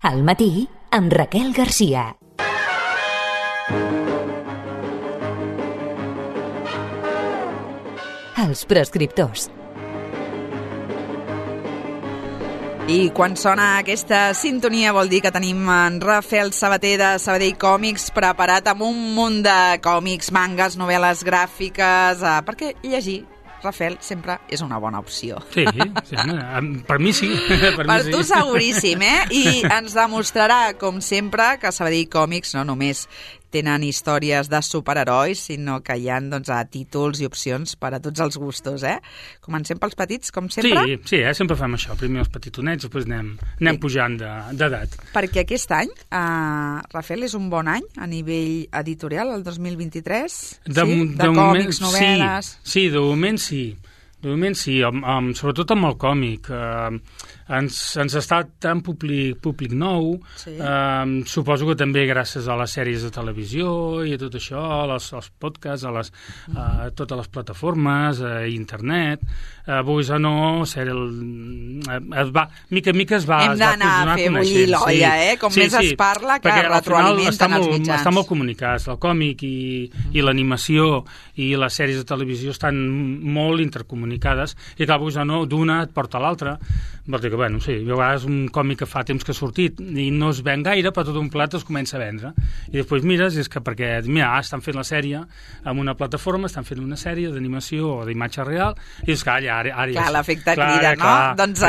Al matí, amb Raquel Garcia. Els prescriptors. I quan sona aquesta sintonia vol dir que tenim en Rafael Sabater de Sabadell Còmics preparat amb un munt de còmics, mangas, novel·les gràfiques, perquè llegir, Rafael, sempre és una bona opció. Sí, per mi sí. Per tu seguríssim, eh? I ens demostrarà, com sempre, que Sabadell Còmics no només tenen històries de superherois, sinó que hi ha títols i opcions per a tots els gustos, eh? Comencem pels petits, com sempre? Sí, sempre fem això. Primer els petitonets, després anem pujant d'edat. Perquè aquest any, Rafael, és un bon any a nivell editorial, el 2023? De còmics, novel·les... Sí, de moment sí. De moment sí, sobretot amb el còmic. Ens està tan públic nou, suposo que també gràcies a les sèries de televisió i a tot això, als podcasts, a totes les plataformes, a internet, vulguis o no, mica en mica es va... Hem d'anar a fer bullir l'olla, com més es parla, que retroalimenten els mitjans. Estan molt comunicats, el còmic i l'animació i les sèries de televisió estan molt intercomunicades i clar, vulguis o no, d'una et porta a l'altra. Vol dir que, bueno, sí, a vegades un còmic que fa temps que ha sortit i no es ven gaire, però tot un plat es comença a vendre. I després mires, és que perquè, mira, estan fent la sèrie en una plataforma, estan fent una sèrie d'animació o d'imatge real, i és que ara clar, l'efecte crida, no? Doncs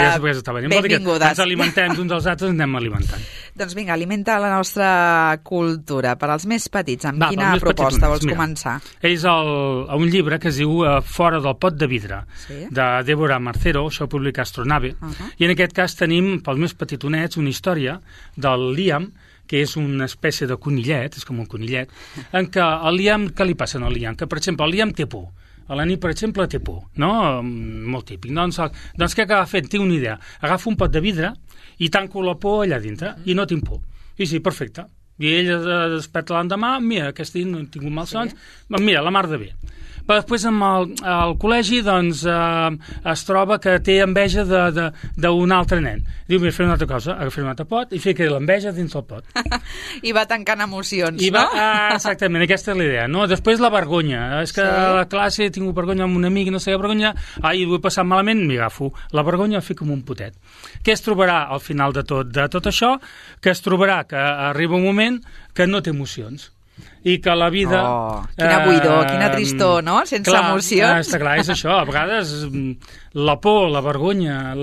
benvingudes. Ens alimentem d'uns als altres, anem alimentant. Doncs vinga, alimenta la nostra cultura. Per als més petits, amb quina proposta vols començar? És un llibre que es diu Fora del pot de vidre, de Débora Marcero, això ho publica Astronave, i en aquest cas tenim, pels més petitonets, una història del Liam, que és una espècie de conillet, és com un conillet, en què el Liam, què li passa al Liam? Que, per exemple, el Liam té por. A la nit, per exemple, té por, no? Molt típic. Doncs què acaba fent? Tinc una idea. Agafa un pot de vidre i tanco la por allà dintre, i no tinc por. I sí, perfecte. I ell es desperta l'endemà, mira, aquest dia no he tingut malsons, mira, la mar de bé. Però després al col·legi doncs, es troba que té enveja d'un altre nen. Diu, mira, fer una altra cosa, agafar un altre pot i fer que l'enveja dins del pot. I va tancant emocions, no? Exactament, aquesta és la idea. No? Després la vergonya. És que a la classe he tingut vergonya amb un amic i no sé què vergonya, ho he passat malament, m'hi agafo. La vergonya la fico en un potet. Què es trobarà al final de tot això? Que es trobarà que arriba un moment que no té emocions. I que la vida... quina buidor, quina tristor, no? Sense emocions. Està clar, és això. A vegades la por, la vergonya,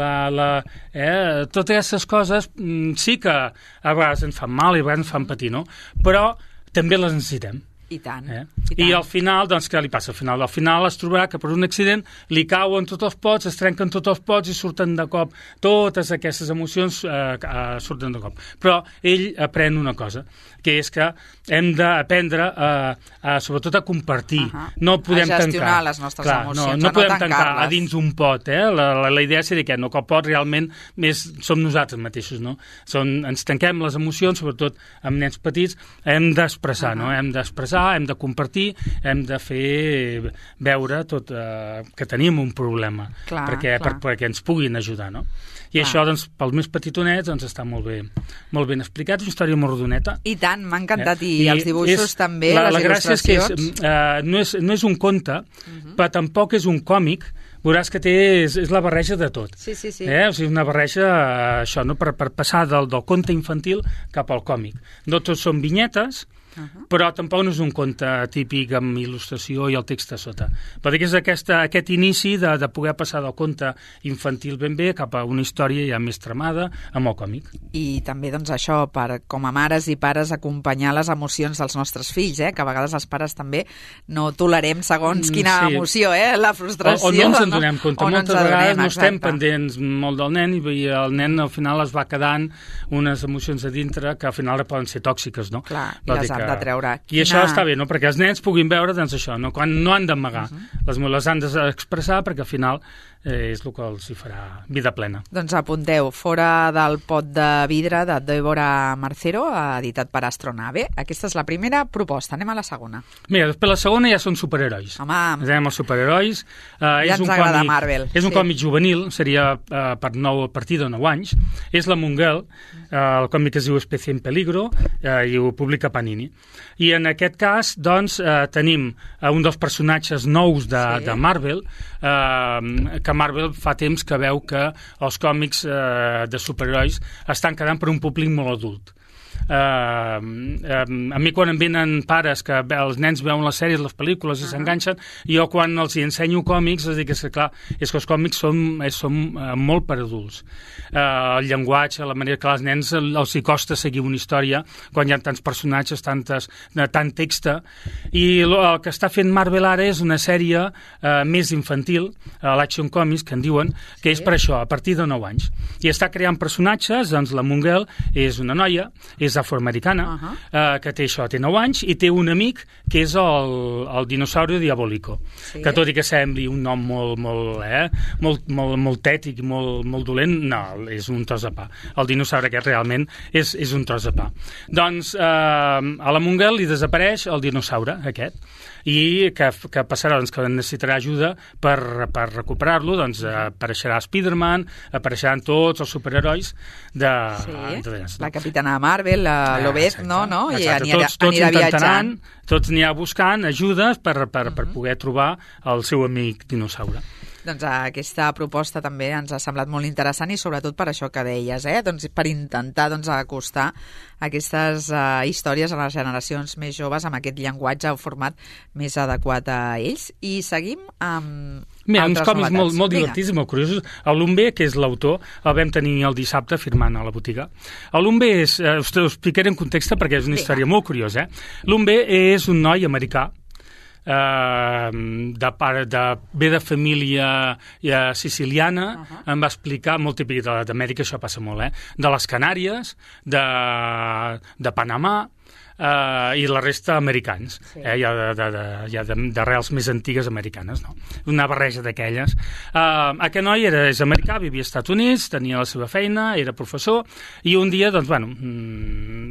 totes aquestes coses sí que a vegades ens fan mal i a vegades ens fan patir, no? Però també les necessitem. I tant. I al final, doncs, què li passa? Al final es trobarà que per un accident li cauen tots els pots, es trenquen tots els pots i surten de cop. Totes aquestes emocions surten de cop. Però ell aprèn una cosa, que és que hem d'aprendre sobretot a compartir. No podem a gestionar les nostres emocions, no podem tancar a dins un pot. La idea seria que no, que el pot realment som nosaltres mateixos. No? Ens tanquem les emocions, sobretot amb nens petits, hem d'expressar, no? Hem d'expressar, hem de compartir, hem de fer veure que tenim un problema perquè ens puguin ajudar, no? I això, doncs, pels més petitonets, doncs, està molt ben explicat, és una història molt rodoneta. I tant, m'ha encantat, i els dibuixos també, les il·lustracions. La gràcia és que no és un conte, però tampoc és un còmic, veuràs que és la barreja de tot. Sí. O sigui, una barreja, això, no? Per passar del conte infantil cap al còmic. No tots són vinyetes, però tampoc no és un conte típic amb il·lustració i el text a sota. Però és aquest inici de poder passar del conte infantil ben bé cap a una història ja més tramada amb el còmic. I també, doncs, això, com a mares i pares, acompanyar les emocions dels nostres fills, que a vegades els pares també no tolerem segons quina emoció, la frustració. O no ens en donem compte. Moltes vegades no estem pendents molt del nen i el nen al final es va quedant unes emocions a dintre que al final poden ser tòxiques, no? Clar, i les de treure. I això està bé, no? Perquè els nens puguin veure, doncs això, no? Quan no han d'amagar. Les han d'expressar perquè al final és el que els hi farà vida plena. Doncs apunteu, Fora del pot de vidre, de Débora Marcero, editat per Astronave. Aquesta és la primera proposta. Anem a la segona. Mira, després la segona ja són superherois. Home, anem als superherois. Ja ens agrada Marvel. És un còmic juvenil, seria a partir de 9 anys. És la Mongel, el còmic es diu Especie en Peligro, i ho publica Panini. I en aquest cas, doncs, tenim un dels personatges nous de Marvel, que Marvel fa temps que veu que els còmics de superherois estan quedant per un públic molt adult. A mi quan em venen pares que els nens veuen les sèries, les pel·lícules i s'enganxen, jo quan els hi ensenyo còmics els dic que clar, és que els còmics són molt per adults. El llenguatge, la manera que als nens els hi costa seguir una història quan hi ha tants personatges, tant text, i el que està fent Marvel ara és una sèrie més infantil, l'Action Comics, que en diuen, que és per això, a partir de 9 anys. I està creant personatges, doncs la Mongel és una noia, és afroamericana, que té 9 anys, i té un amic que és el dinosaurio diabólico, que tot i que sembli un nom molt tètic, molt dolent, no, és un tros de pa. El dinosaure aquest realment és un tros de pa. Doncs a la Mongel li desapareix el dinosaure aquest, i que passarà, doncs, que necessitarà ajuda per recuperar-lo, doncs apareixerà Spider-Man, apareixeran tots els superherois de la Capitana Marvel, l'Obed, no? I anirà viatjant. Tots anirà buscant ajudes per poder trobar el seu amic dinosaure. Doncs aquesta proposta també ens ha semblat molt interessant i sobretot per això que deies, doncs per intentar acostar aquestes històries a les generacions més joves amb aquest llenguatge o format més adequat a ells. I seguim amb uns còmics molt divertits i molt curiosos. El Lumbe, que és l'autor, el vam tenir el dissabte firmant a la botiga. El Lumbe és, us explicaré en context perquè és una història molt curiosa. Lumbe és un noi americà, ve de família siciliana, em va explicar, molt típic d'Amèrica, això passa molt, de les Canàries, de Panamà, i la resta americans, ja d'arrels més antigues americanes, no? Una barreja d'aquelles. Aquest noi és americà, vivia als Estats Units, tenia la seva feina, era professor, i un dia, doncs,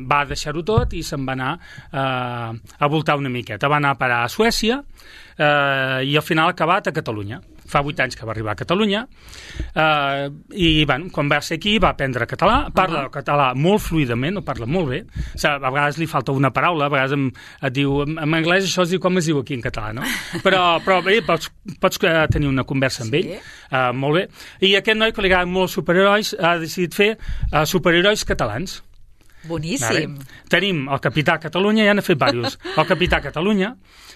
va deixar-ho tot i se'n va anar a voltar una miqueta. Va anar a parar a Suècia i al final ha acabat a Catalunya. Fa 8 anys que va arribar a Catalunya i quan va ser aquí va aprendre català, parla el català molt fluidament, ho parla molt bé, a vegades li falta una paraula, a vegades et diu, en anglès això es diu com es diu aquí en català, no? Però bé, pots tenir una conversa amb ell, molt bé. I aquest noi que li agraden molt els superherois ha decidit fer superherois catalans. Boníssim. Tenim el Capità Catalunya, ja n'ha fet diversos. El Capità Catalunya,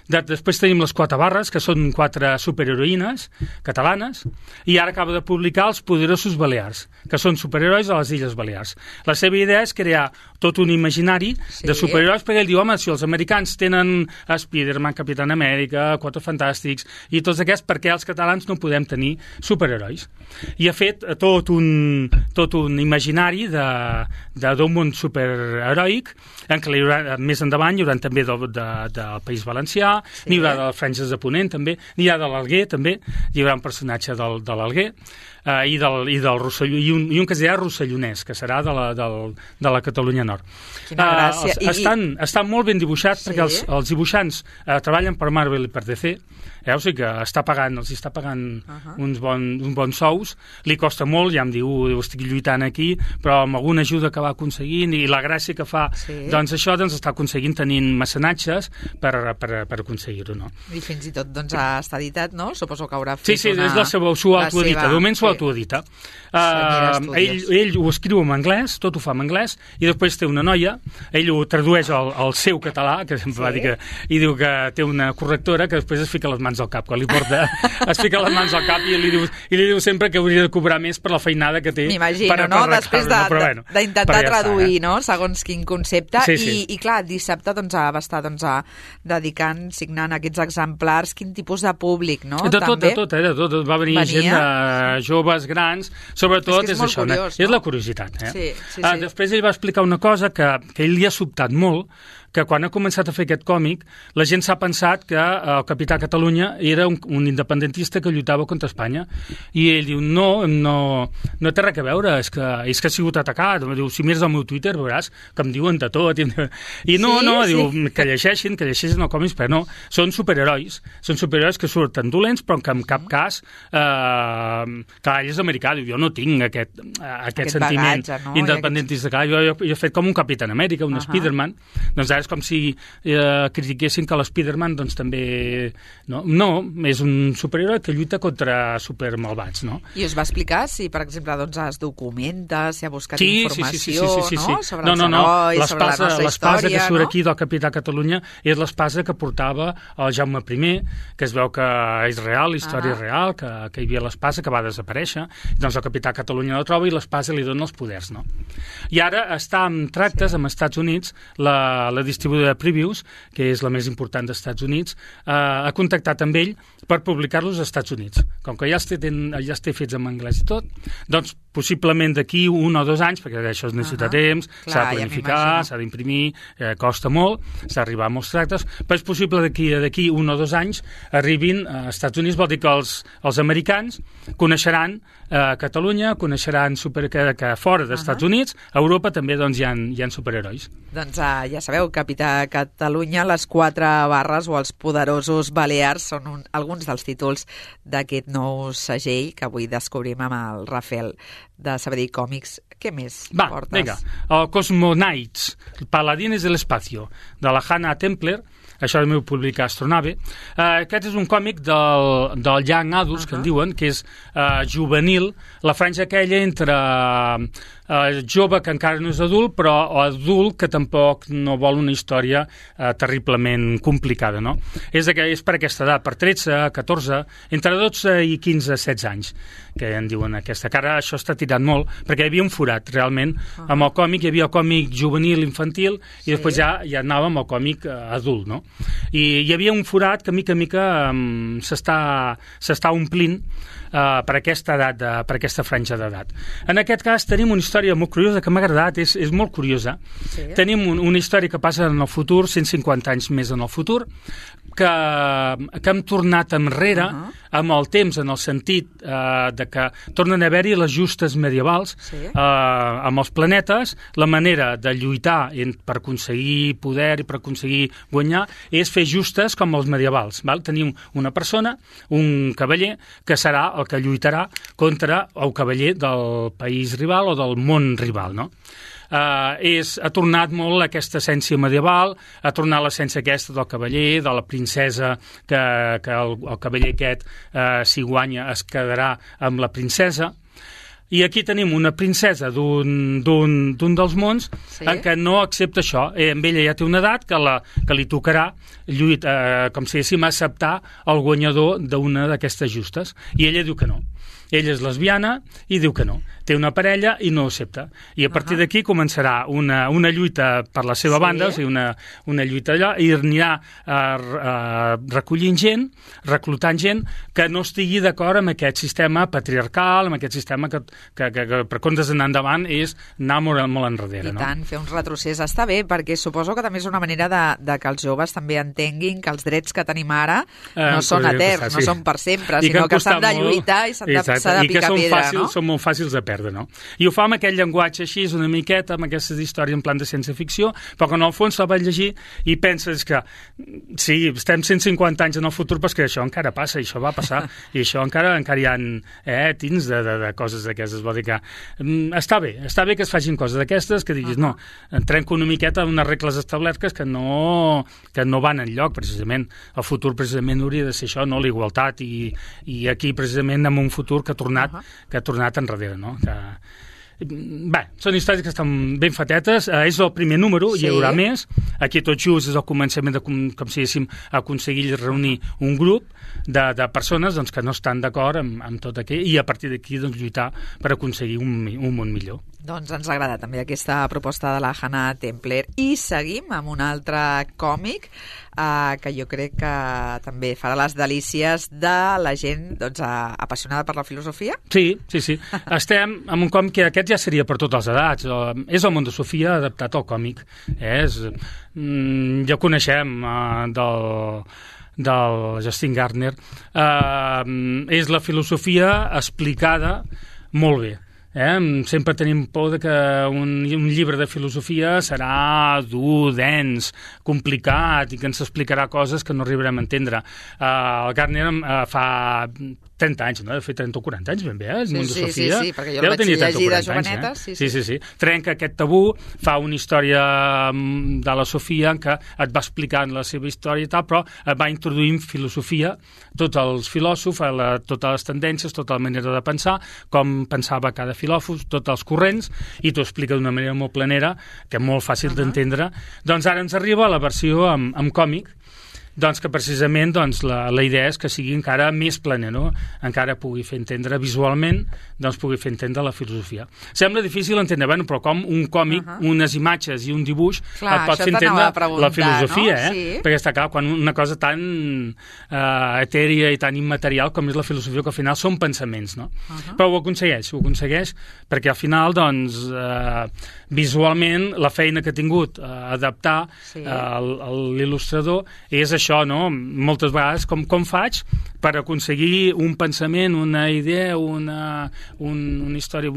després tenim les 4 barres, que són 4 superheroïnes catalanes, i ara acaba de publicar els Poderosos Balears, que són superherois a les Illes Balears. La seva idea és crear tot un imaginari de superherois, perquè ell diu, home, si els americans tenen Spider-Man, Capitán Amèrica, 4 Fantàstics, i tots aquests, per què els catalans no podem tenir superherois? I ha fet tot un imaginari d'un món superheroic, en què més endavant hi haurà també del País Valencià, n'hi haurà de les Franges de Ponent també, n'hi ha de l'Alguer també, hi haurà un personatge de l'Alguer i del Rosselló, i un que es dirà Rossellonès, que serà de la Catalunya Nord. Quina gràcia. Estan molt ben dibuixats perquè els dibuixants treballen per Marvel i per DC, o sigui que els està pagant uns bons sous, li costa molt, ja em diu, estic lluitant aquí, però amb alguna ajuda que va aconseguint i la gràcia que fa, doncs això està aconseguint tenint mecenatges per aconseguir-ho, no? I fins i tot està editat, no? Suposo que haurà fet és la seva, s'ho autoedita, de moment s'ho autoedita. Ell ho escriu en anglès, tot ho fa en anglès, i després té una noia, ell ho tradueix al seu català, que sempre va dir que, i diu que té una correctora que després es fica les mans al cap, quan li porta, es fica les mans al cap i li diu sempre que hauria de cobrar més per la feinada que té. M'imagino, no? Després d'intentar traduir, no? Segons quin concepte, i clar, dissabte va estar dedicant, signant aquests exemplars, quin tipus de públic, no? De tot, va venir gent de joves, grans, sobretot és això, és la curiositat. Després ell va explicar una cosa que ell li ha sobtat molt, que quan ha començat a fer aquest còmic, la gent s'ha pensat que el Capità Catalunya era un independentista que lluitava contra Espanya. I ell diu, no té res a veure, és que ha sigut atacat. Diu, si mires el meu Twitter veuràs que em diuen de tot. I diu, que llegeixin el còmic, però no, són superherois que surten dolents, però que en cap cas, clar, ell és americà, diu, jo no tinc aquest sentiment bagatge, no? independentista. Jo he fet com un Capitán Amèrica, un Spiderman, doncs ara és com si critiquessin que l'Spiderman doncs també... No, és un superheroi que lluita contra supermalvats, no? I us va explicar si, per exemple, doncs es documenta, si ha buscat informació, sí. No? Sobre els herois, sobre la nostra l'espasa que surt no? aquí del Capità Catalunya és l'espasa que portava el Jaume I, que es veu que és real, història real, que hi havia l'espasa que va desaparèixer, doncs el Capità Catalunya la troba i l'espasa li dona els poders, no? I ara està en tractes amb Estats Units, la distribuïdora de Previews, que és la més important dels Estats Units, ha contactat amb ell per publicar-los als Estats Units. Com que ja els té fets en anglès i tot, doncs possiblement d'aquí 1 o 2 anys, perquè això es necessita temps, s'ha de planificar, s'ha d'imprimir, costa molt, s'ha d'arribar a molts tractes, però és possible d'aquí 1 o 2 anys arribin als Estats Units, vol dir que els americans coneixeran Catalunya, coneixeran que fora dels Estats Units, a Europa també doncs, hi ha superherois. Doncs ja sabeu, Capità Catalunya, les 4 barres o els poderosos Balears són alguns dels títols d'aquest nou segell que avui descobrim amb el Rafael de Sabadell Còmics. Què més portes? Vinga, el Cosmonauts, Paladines de l'Espacio, de la Hannah Templer. Això el meu publicar Astronave. Aquest és un còmic del young adults, que en diuen, que és juvenil, la franja aquella entre jove que encara no és adult, però adult que tampoc no vol una història terriblement complicada, no? És per aquesta edat, per 13, 14, entre 12 i 15, 16 anys, que en diuen aquesta. Que ara això està tirant molt, perquè hi havia un forat, realment. Amb el còmic hi havia el còmic juvenil, infantil, i després ja anàvem al còmic adult, no? I hi havia un forat que mica en mica s'està omplint per aquesta edat, per aquesta franja d'edat. En aquest cas tenim una història molt curiosa que m'ha agradat, és molt curiosa. Sí. Tenim una història que passa en el futur, 150 anys més en el futur, que hem tornat enrere amb el temps, en el sentit de que tornen a haver-hi les justes medievals amb els planetes. La manera de lluitar per aconseguir poder i per aconseguir guanyar és fer justes com els medievals. Val? Tenim una persona, un cavaller, que serà el que lluitarà contra el cavaller del país rival o del món rival, no? Ha tornat molt aquesta essència medieval, ha tornat l'essència aquesta del cavaller, de la princesa, que el cavaller aquest, si guanya, es quedarà amb la princesa. I aquí tenim una princesa d'un dels mons en què no accepta això. Amb ella ja té una edat que li tocarà com si diguéssim acceptar el guanyador d'una d'aquestes justes. I ella diu que no. Ella és lesbiana i diu que no. Té una parella i no accepta. I a partir d'aquí començarà una lluita per la seva banda, o sigui, una lluita allà, i anirà recollint gent, reclutant gent que no estigui d'acord amb aquest sistema patriarcal, amb aquest sistema que per comptes d'anar endavant és anar molt enrere. I tant, fer un retrocés està bé, perquè suposo que també és una manera de que els joves també entenguin que els drets que tenim ara no són eterns, no són per sempre, sinó que s'han de lluitar i s'ha de picar pedra, no? Són molt fàcils de perdre, no? I ho fa amb aquell llenguatge així, una miqueta, amb aquestes històries en plan de ciència-ficció, però que en el fons la vas llegir i penses que sí, estem 150 anys en el futur, però que això encara passa, i això va passar, i això encara hi ha tins de coses d'aquestes. Vol dir que està bé que es facin coses d'aquestes, que diguis, no, trenco una miqueta unes regles establertes que no van enlloc, precisament. El futur precisament hauria de ser això, no? La igualtat, i aquí precisament en un futur que ha tornat enrere, no? Bé, són històries que estan ben fatetes, és el primer número, hi haurà més. Aquí tot just és el començament de, com si diguéssim, aconseguir reunir un grup de persones doncs, que no estan d'acord amb tot aquell, i a partir d'aquí doncs, lluitar per aconseguir un món millor. Doncs ens agrada també aquesta proposta de la Hannah Templer. I seguim amb un altre còmic que jo crec que també farà les delícies de la gent doncs, apassionada per la filosofia. Sí. Estem amb un còmic que aquest ja seria per totes les edats. És el món de Sofia adaptat al còmic. És ja coneixem del Justin Gardner, és la filosofia explicada molt bé. Sempre tenim por de que un llibre de filosofia serà dur, dens, complicat i que ens explicarà coses que no arribarem a entendre. El Gardner fa 30 anys, no? De fet, 30 o 40 anys, ben bé, el món de Sofia. Sí, perquè jo el vaig llegir de joveneta. Sí. Trenca aquest tabú, fa una història de la Sofia en què et va explicant la seva història i tal, però va introduint filosofia, tots els filòsofs, totes les tendències, tota la manera de pensar, com pensava cada filòsof, tots els corrents, i t'ho explica d'una manera molt planera, que és molt fàcil d'entendre. Doncs ara ens arriba la versió amb còmic, doncs que precisament la idea és que sigui encara més plena, no? Encara pugui fer entendre visualment, doncs pugui fer entendre la filosofia. Sembla difícil entendre, bueno, però com un còmic, unes imatges i un dibuix et pot fer entendre la filosofia, no? Sí. Perquè està clar, quan una cosa tan etèria i tan immaterial com és la filosofia, que al final són pensaments, no? Però ho aconsegueix, perquè al final, doncs, visualment, la feina que ha tingut adaptar l'il·lustrador és això, no? Moltes vegades, com faig per aconseguir un pensament, una idea, una història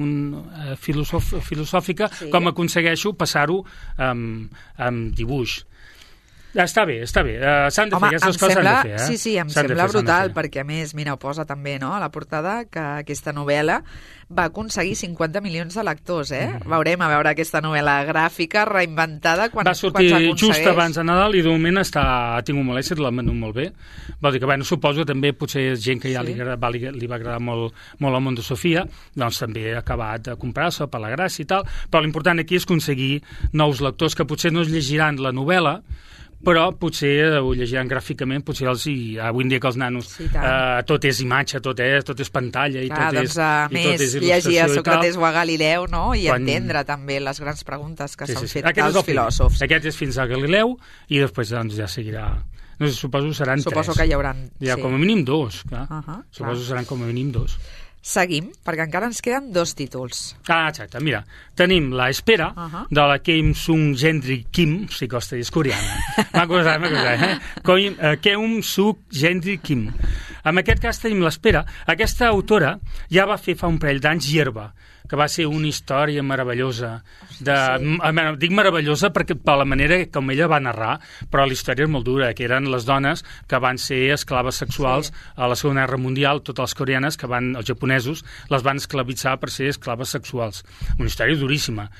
filosòfica, com aconsegueixo passar-ho amb dibuix. Està bé. S'han de fer, aquestes coses s'han de fer. Sí, em sembla brutal, perquè a més, mira, ho posa també a la portada, que aquesta novel·la va aconseguir 50 milions de lectors, Veurem a veure aquesta novel·la gràfica reinventada quan s'aconsegueix. Va sortir just abans de Nadal i de moment ha tingut molt èxit, l'ha venut molt bé. Vol dir que, suposo també potser gent que ja li va agradar molt el món de Sofia, doncs també ha acabat de comprar-se per la gràcia i tal, però l'important aquí és aconseguir nous lectors que potser no es llegiran la novel·la, però potser ho llegiran gràficament, potser avui en dia que els nanos tot és imatge, tot és pantalla i tot és il·lustració llegir a Sòcrates o a Galileu, no? I entendre també les grans preguntes que s'han fet als filòsofs. Aquest és fins a Galileu i després ja seguirà. No sé, suposo que seran 3. Suposo que hi haurà... Com a mínim 2, clar. Suposo que seran com a mínim 2. Seguim, perquè encara ens queden 2 títols. Exacte, mira, tenim La Espera, de la Keum Sung Gendry Kim, si costa dir, és coreana. M'ha costat, Keum Sung Gendry Kim. En aquest cas tenim L'Espera. Aquesta autora ja va fer fa un parell d'anys Hierba, que va ser una història meravellosa. Dic meravellosa perquè per la manera com ella va narrar, però la història és molt dura, que eren les dones que van ser esclaves sexuals a la Segona Guerra Mundial, totes les coreanes, els japonesos, les van esclavitzar per ser esclaves sexuals. Una història duríssima.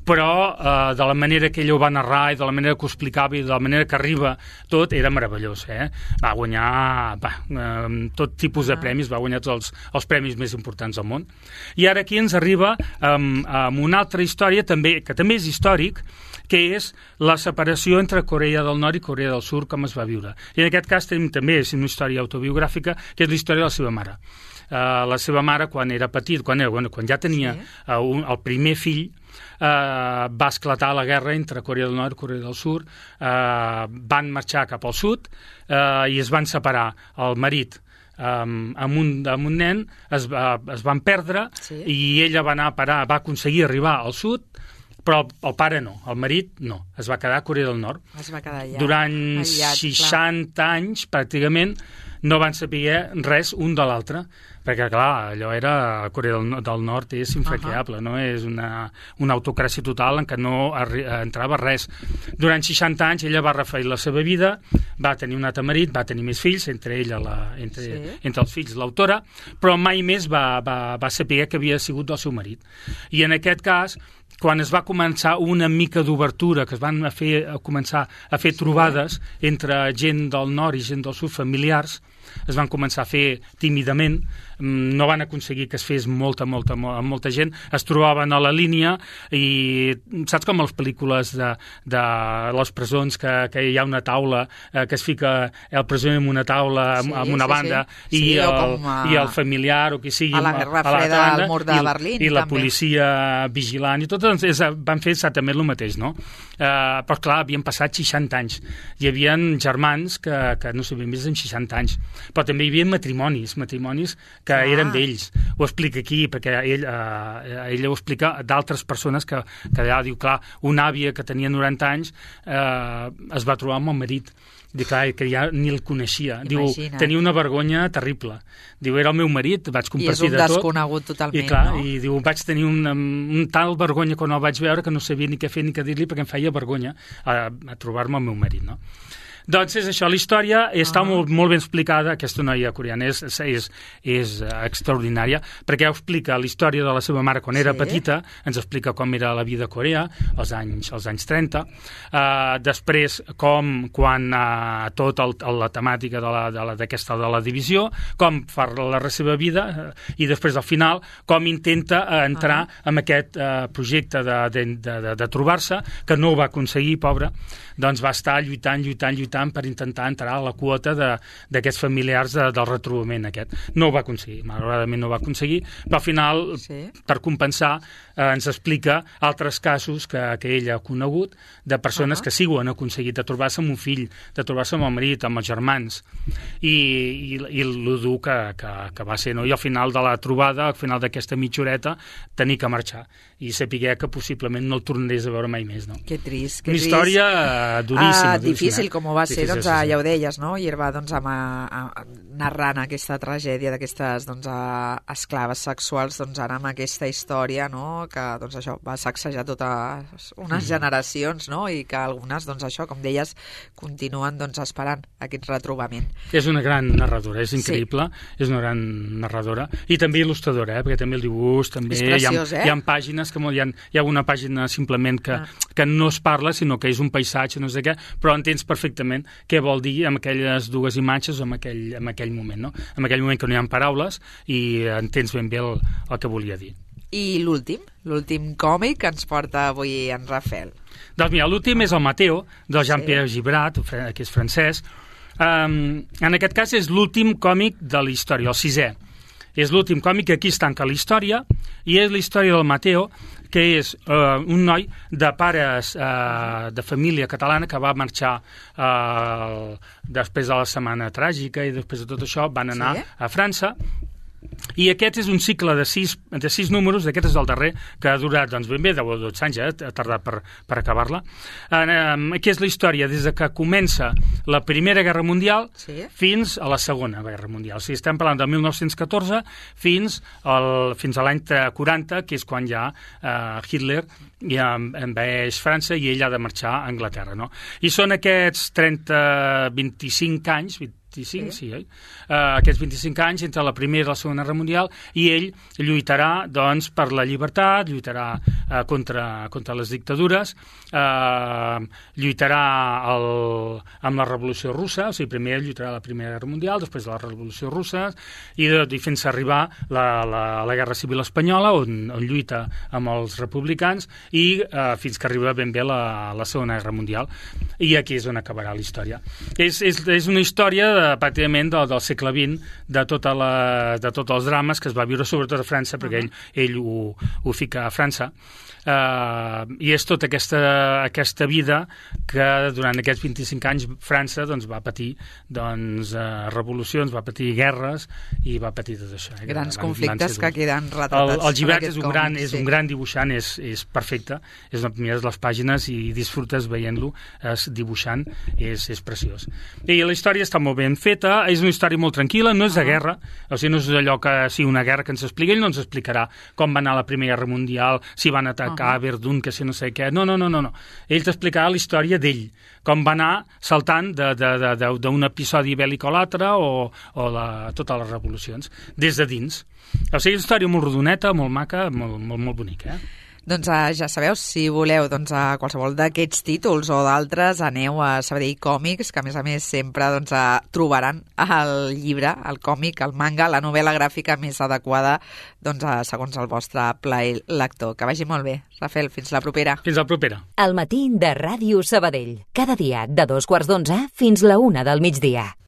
Però de la manera que ella ho va narrar i de la manera que ho explicava i de la manera que arriba, tot era meravellós. Va guanyar tot tipus de premis, va guanyar tots els premis més importants del món. I ara aquí ens arriba amb una altra història que també és històric, que és la separació entre Corea del Nord i Corea del Sud, com es va viure. I en aquest cas tenim també una història autobiogràfica, que és la història de la seva mare. La seva mare, quan era petit, quan ja tenia el primer fill, va esclatar la guerra entre Corea del Nord i Corea del Sud, van marxar cap al sud i es van separar. El marit amb un nen es van perdre i ella va aconseguir arribar al sud, però el pare no, el marit no, es va quedar a Corea del Nord. Es va quedar allà. Durant 60 anys, pràcticament, no van saber res un de l'altre, perquè, clar, allò era... Corea del Nord és infranqueable, no? És una autocràcia total en què no entrava res. Durant 60 anys ella va refer la seva vida, va tenir un altre marit, va tenir més fills, entre els fills l'autora, però mai més va saber que havia sigut del seu marit. I en aquest cas, quan es va començar una mica d'obertura, que es van començar a fer trobades entre gent del nord i gent del sud, familiars, es van començar a fer tímidament, no van aconseguir que es fes molta gent, es trobaven a la línia i saps com a les pel·lícules de les presons que hi ha una taula, que es fica el presoner en una taula, amb una banda, i el familiar o qui sigui a la Guerra Freda al mur de Berlín i la policia vigilant i tot, doncs van fer exactament el mateix, no? Però clar, havien passat 60 anys, hi havia germans que no s'havien vist en 60 anys, però també hi havia matrimonis que eren d'ells. Ho explica aquí, perquè ell ho explica d'altres persones que allà diu, clar, una àvia que tenia 90 anys es va trobar amb el marit. Diu, clar, que ja ni el coneixia. Diu, tenia una vergonya terrible. Diu, era el meu marit, vaig compartir de tot. I és un desconegut totalment, i, clar, no? I diu, vaig tenir un tal vergonya quan el vaig veure que no sabia ni què fer ni què dir-li perquè em feia vergonya a trobar-me el meu marit, no? Doncs és això, la història està molt ben explicada, aquesta noia coreana és extraordinària, perquè explica la història de la seva mare quan era petita, ens explica com era la vida a Corea, als anys 30, després quan tota la temàtica de la divisió, com fa la seva vida, i després al final com intenta entrar en aquest projecte de trobar-se, que no ho va aconseguir, pobra, doncs va estar lluitant per intentar entrar a la quota d'aquests familiars del retrobament aquest. No ho va aconseguir, malauradament no ho va aconseguir, però al final, per compensar, ens explica altres casos que ella ha conegut de persones que sí ho han aconseguit, de trobar-se amb un fill, de trobar-se amb el marit, amb els germans, i lo dur que va ser, no? I al final de la trobada, al final d'aquesta mitja horeta, tenir que marxar i saber que possiblement no el tornaries a veure mai més, no? Que trist, Una història duríssima. Difícil, com ho va ser, doncs ja ho deies, no? I va narrant aquesta tragèdia d'aquestes esclaves sexuals, doncs ara amb aquesta història, no? Que doncs això va sacsejar totes unes generacions, no? I que algunes, doncs això, com deies, continuen esperant aquest retrobament. És una gran narradora, és increïble, és una gran narradora i també il·lustradora, perquè també el dibuix, també és preciós, hi ha pàgines que hi ha una pàgina simplement que no es parla, sinó que és un paisatge, no sé què, però entens perfectament què vol dir amb aquelles dues imatges o en aquell moment, no? En aquell moment que no hi ha paraules i entens ben bé el que volia dir. I l'últim còmic que ens porta avui en Rafael? Doncs mira, l'últim és el Mateo, del Jean-Pierre Gibrat, que és francès. En aquest cas és l'últim còmic de la història, el 6è. És l'últim còmic que aquí es tanca la història, i és la història del Mateo, que és un noi de pares de família catalana que va marxar després de la Setmana Tràgica i després de tot això van anar a França. I aquest és un cicle de 6 números, aquest és el darrer, que ha durat ben bé 10 o 12 anys, ha tardat per acabar-la. Aquí és la història des que comença la Primera Guerra Mundial fins a la Segona Guerra Mundial. O sigui, estem parlant de 1914 fins a l'any 40, que és quan ja Hitler ja envaeix França i ell ha de marxar a Anglaterra, no? I són aquests 25 anys, aquests 25 anys entre la Primera i la Segona Guerra Mundial, i ell lluitarà doncs, per la llibertat, lluitarà contra les dictadures, lluitarà amb la Revolució Russa, o sigui, primer lluitarà la Primera Guerra Mundial, després de la Revolució Russa, i fins a arribar la Guerra Civil Espanyola, on lluita amb els republicans, i fins que arriba ben bé la Segona Guerra Mundial. I aquí és on acabarà la història. És una història pràcticament del segle XX, de tots els drames que es va viure sobretot a França, perquè ell ho fica a França, i és tota aquesta vida que durant aquests 25 anys França va patir revolucions, va patir guerres i va patir tot això. Grans conflictes que queden retratats. El Gibrat és un gran dibuixant, és perfecte, mires les pàgines i disfrutes veient-lo dibuixant, és preciós. I la història està molt ben feta, és una història molt tranquil·la, no és de guerra, o sigui, no és allò que sigui una guerra que ens explica, ell no ens explicarà com va anar la Primera Guerra Mundial, si van atacar Verdun, que si no sé què, no. Ell t'explicarà la història d'ell, com va anar saltant d'un episodi bèl·lic a l'altre o totes les revolucions, des de dins. O sigui, és una història molt rodoneta, molt maca, molt bonica, Doncs ja sabeu, si voleu a qualsevol d'aquests títols o d'altres, aneu a Sabadell Còmics, que a més sempre trobaran el llibre, el còmic, el manga, la novel·la gràfica més adequada segons el vostre plaer lector. Que vagi molt bé. Rafael, fins la propera. Fins la propera. El matí de Ràdio Sabadell. Cada dia de 2:15 fins la 1 del migdia.